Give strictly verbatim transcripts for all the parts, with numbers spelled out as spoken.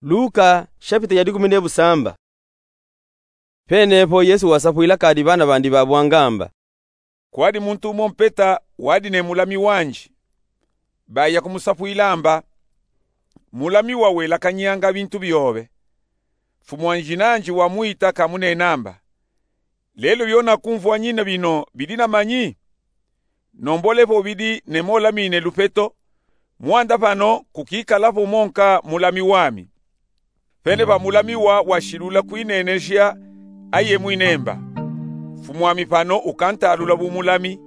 Luka, shapita ya dikumi ne busamba. Penepo Yesu wasapwila kadi bana bandi babwangamba: Kwadi muntu umo mpeta wadi ne mulami wandi. Baya kumusapwila amba: Mulami wa welakanyanga bintu biobe. Mfumwandi nandi wamwita kamunenamba: Lelo bionakumvwanyina bino bidi na manyi? Nombole po bidi nemolamine lupeto, mwanda pano kukikala po monka mulami wami. Pene pa mulami wa washilula kwineneja, aye mwinemba: Mfumwami pano ukantalula bu mulami.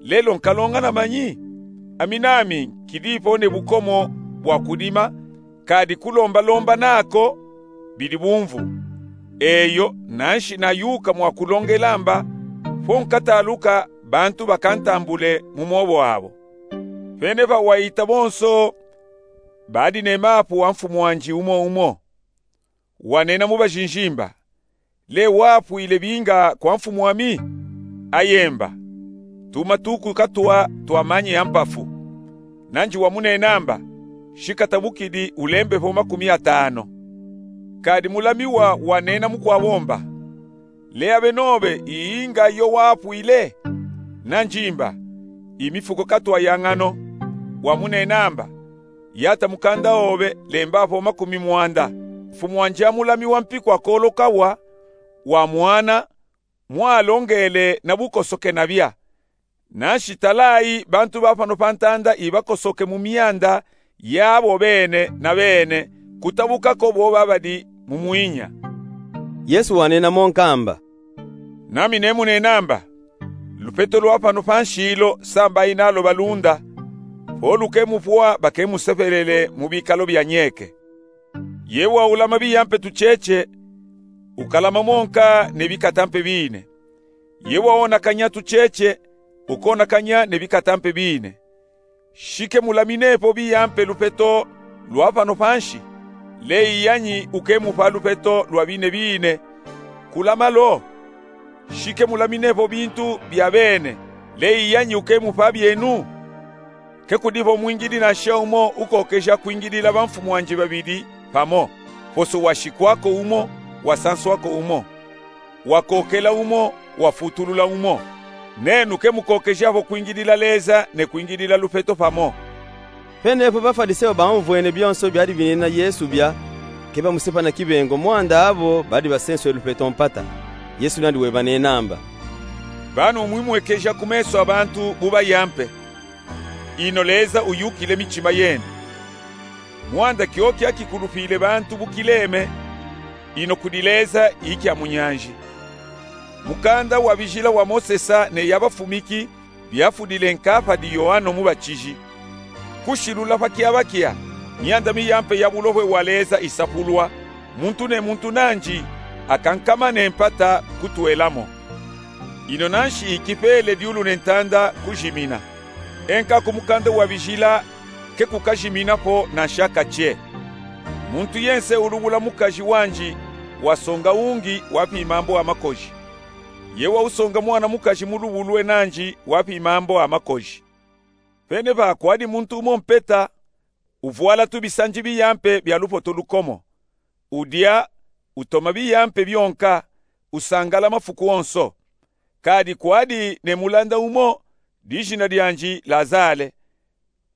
Lelo nkalonga na manyi? Ami nami nkidipo ne bukomo bwa kudima, kadi kulombalomba nako bidi bumvu. Eyo, nanshi nayuka mwakulongela amba: Po nkataluka, bantu bakantambule mu mwobo abo. Pene pa wayita bonso, badi ne mapu wa mfumwandi umo umo. Wanena mu bajinjimba: Le wapwile binga kwa mfumwami? Ayemba: Tuma tuku katwa twa manyi a mpafu. Nandi wamunenamba: Shikatabukidi ulembe po makumi atano. Kadi mulami wa wanena mukwabomba: Le abe nobe iyinga yo wapwile? Nandimba: Imifuko katwa ya ngano. Wamunenamba: Yata mukanda obe, lemba po makumi mwanda. Mfumwandi a mulami wa mpiku akoloka wa, wamwana, mwalongele na bukosoke nabia. Nanshi talayi bantu ba pano pa ntanda ibakosoke mu mianda yabo bene na bene, kutabuka ko bo babadi mu mwinya. Yesu wanena monka amba: Nami nemunenamba: Lupeto lwa pano pa nshi lo sambayi nalo balunda, po lukemupwa bakemusepelele mu bikalo bya nyeke. Ye waulama biyampe tucheche, ukalama monka ne bikatampe bine. Ye waonakanya tucheche, ukonakanya ne bikatampe bine. Shikemulaminepo biyampe lupeto lwa pano pa nshi, le iyanyi ukemupa lupeto lwa bine bine? Kulama lo. Shikemulaminepo bintu bya bene, le iyanyi ukemupa byenu? Kekudipo mwingidi nansha umo ukokeja kwingidila bamfumwandi babidi pamo, poso washikwako umo, wasanswako umo, wakokela umo, wafutulula umo. Nenu kemukokejapo kwingidila Leza ne kwingidila lupeto pamo. Penepo Bafwaliseo baumvwene byonso byadi binena Yesu bya, kebamusipa na kibengo, mwanda abo badi basenswe lupeto mpata. Yesu nandi webanenamba: Banu mwimwekeja ku meso a bantu bu bayampe, ino Leza uyukile michima yenu. Mwanda kyo kyakikulupile bantu bu kileme, ino kudi Leza ikya mu nyanji. Mukanda wa bijila wa Mosesa ne ya bafumiki byafudile nka padi Yoano Mubachiji. Kushilula pa kyabakya, myanda miyampe ya bulohwe wa Leza isapulwa, muntu ne muntu nandi akankama ne mpata kutwelamo. Ino nanshi ikipele dyulu ne ntanda kujimina. Enka ku mukanda wa bijila kekukajiminapo nanshaka che. Muntu yense ulubula mukaji wandi wasonga ungi wa pimambo a makoji. Ye wausonga mwana mukaji mu lubu lwe nandi wa pimambo a makoji. Pene pa kwadi muntu umo mpeta, uvwala tubisanji biyampe bya lupoto lukomo. Udya, utoma biyampe byonka, usangala mafuku onso. Kadi kwadi ne mulanda umo, dijina dyandi Lazale.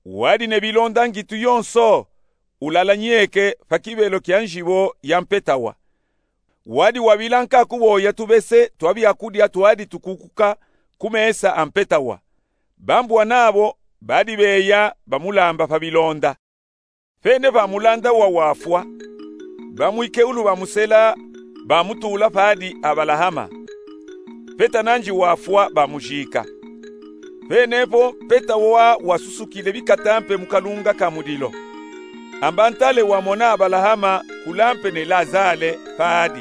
Wadi ne bilonda ngitu yonso, ulala nyeke pa kibelo kya njibo ya mpeta wa. Wadi wabila nka kuboya tubese twa byakudya twadi tukukuka ku mesa a mpeta wa. Bambwana bo badi beya bamulamba pa bilonda. Pene pa mulanda wa wafwa, bamwikeulu bamusela, bamutula padi Abalahama. Mpeta nandi wafwa, bamujika. Penepo mpeta wa wasusukile bikatampe mu kalunga ka mudilo. Amba ntale wamona Abalahama kulampe ne Lazale padi.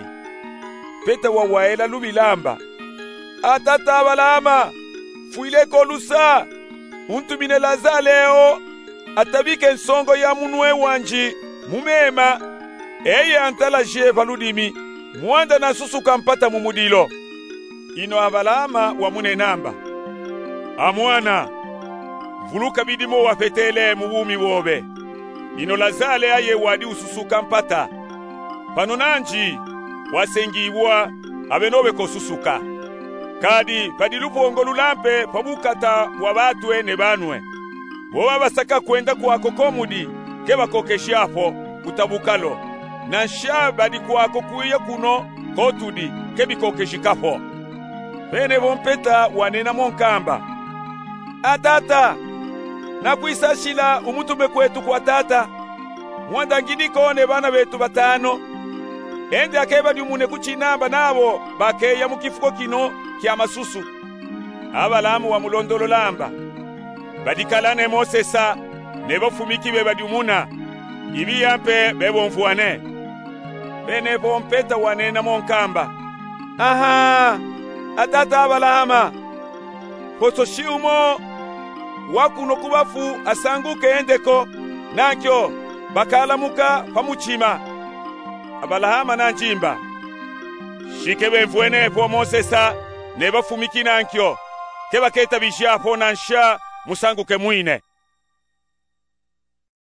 Mpeta wa waela lubilamba: A tata Abalahama, fwile ko lusa, untumine Lazale o, atabike nsongo ya munwe wandi mu mema, eye antalaje pa ludimi, mwanda nasusuka mpata mu mudilo. Ino Abalahama wamunenamba: A mwana, vuluka bidimo wapetele mu bumi bobe. ino Lazale aye wadi ususuka mpata. Pano nanji, wasengiwa, abeno bekosusuka. Kadi padi lupongo lulampe pa bukata bwa batwe ne banwe. Bo babasaka kwenda kwako ko mudi, ke bakokesha fo, kuta bukalo. Nansha badi kwako kwiya kuno ko tudi, ke bikokeshika fo. Pene bo mpeta wanena mo nkamba: A tata, nakwisashila umutume kwetu kwa tata, mwanda ngidi ko ne bana betu batano. Ende akebadiumune ku cinamba nabo bakeya mu kifuko kino kia masusu. Abalahama wamulondolola amba: Badikala ne Mosesa ne bafumiki bebadiumuna, ibiya mpe bebomvwane. Pene bo mpeta wanena mo nkamba: Aha, a tata Abalahama, poso shiumo wa kuno ku bafu asanguke ende ko, nankyo bakalamuka pa mucima. Abalahama nanjimba: Shi ke bemvwene fo Mosesa ne bafumiki nankyo, ke baketabija fo nansha musanguke mwine.